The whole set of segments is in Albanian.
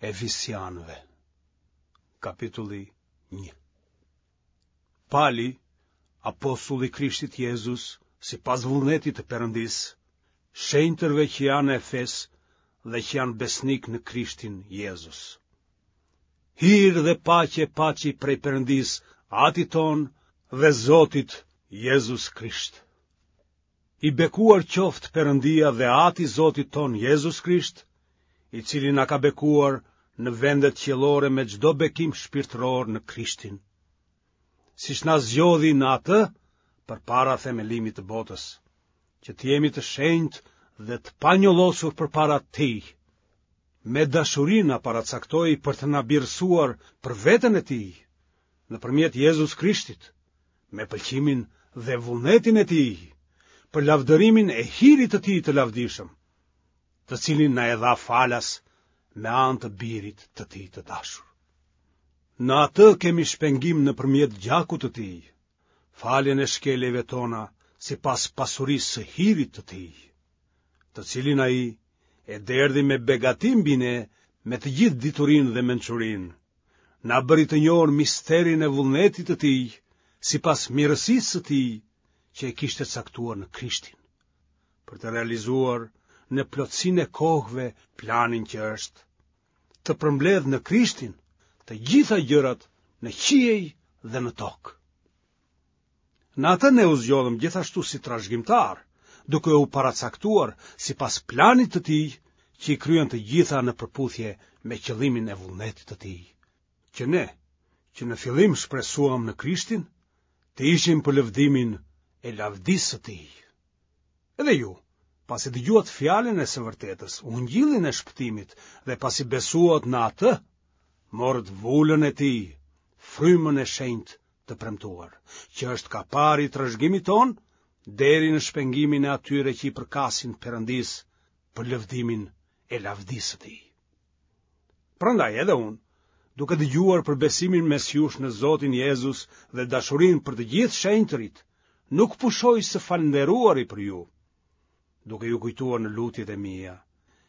Efesianëve, kapitulli 1. Pali, apostulli i Krishtit Jezus, sipas vullnetit të Perëndisë, shenjtërve që janë në Efes dhe që janë besnikë në Krishtin Jezus. Hir dhe paqe paçi prej Perëndisë, Atit tonë dhe Zotit Jezus Krisht. I bekuar qoftë Perëndia dhe Ati i Zotit tonë Jezus Krisht, i cili na ka bekuar në vendet qiellore me çdo bekim shpirtëror në Krishtin. Siç na zgjodhi në atë përpara themelimit të botës, që të jemi të shenjtë dhe të panjollosur përpara tij. Me dashuri na paracaktoi për të na birësuar për veten e tij, nëpërmjet Jezus Krishtit, me pëlqimin dhe vullnetin e tij, për lavdërimin e hirit të tij të lavdishëm, të cilin na e dha falas me anë të birit të tij të dashur. Në atë kemi shpengim nëpërmjet gjakut të tij, faljen e shkeljeve tona sipas pasurisë së hirit të tij, të cilin ai e derdhi me begati mbi ne me të gjithë diturinë dhe mençurinë, na bëri të njohur misterin e vullnetit të tij, sipas mirësisë së tij që e kishte caktuar në Krishtin, për të realizuar në plotësinë e kohëve planin që është, të përmbledhë në Krishtin të gjitha gjërat në qiej dhe në tokë. Në atë ne u zgjodhëm gjithashtu si trashëgimtarë, duke u paracaktuar sipas planit të tij që i kryen të gjitha në përputhje me qëllimin e vullnetit të tij, që ne, që në fillim shpresuam në Krishtin, të ishim për lëvdimin e lavdisë së tij. Edhe ju, pasi dëgjuat fjalën e së vërtetës, ungjillin e shpëtimit dhe pasi besuat në atë, morët vulën e tij, frymën e shenjtë të premtuar, që është kapari i trashëgimit tonë deri në shpengimin e atyre që i përkasin Perëndisë për lëvdimin e lavdisë së tij. Prandaj edhe unë, duke dëgjuar për besimin mes jush në Zotin Jezus dhe dashurinë për të gjithë shenjtërit, nuk pushoj së falënderuari për ju, duke ju kujtuar në lutjet e mia,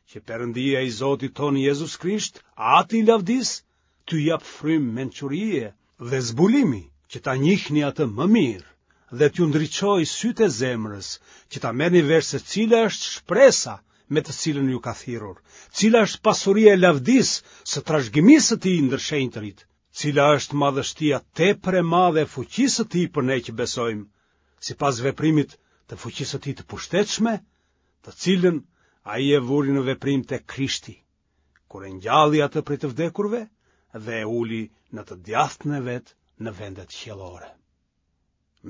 që Perëndia i Zotit tonë Jezus Krisht, Ati i lavdisë, t'ju japë frymë mençurie dhe zbulimi që ta njihni atë më mirë dhe t'ju ndriçojë sytë e zemrës, që ta merrni vesh se cila është shpresa me të cilën ju ka thirrur, cila është pasuria e lavdisë së trashëgimisë së tij ndër shenjtërit, cila është madhështia tepër e madhe e fuqisë së tij për ne që besojmë, sipas veprimit të fuqisë së tij të pushtetshme, të cilën ai e vuri në veprim te Krishti, kur e ngjalli atë prej të vdekurve dhe e uli në të djathtën e vet në vendet qiellore.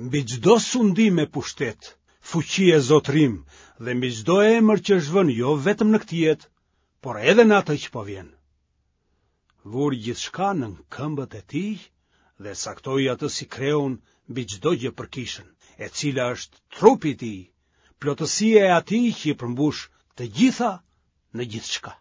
Mbi çdo sundim e pushtet, fuqi e zotërim dhe mbi çdo emër që është vënë jo vetëm në këtë jetë, por edhe në atë që po vjen. Vuri gjithçka nën këmbët e tij dhe e caktoi atë si kreun mbi çdo gjë për kishën, e cila është trupi i tij, plotësia e atij që i përmbush të gjitha në gjithçka.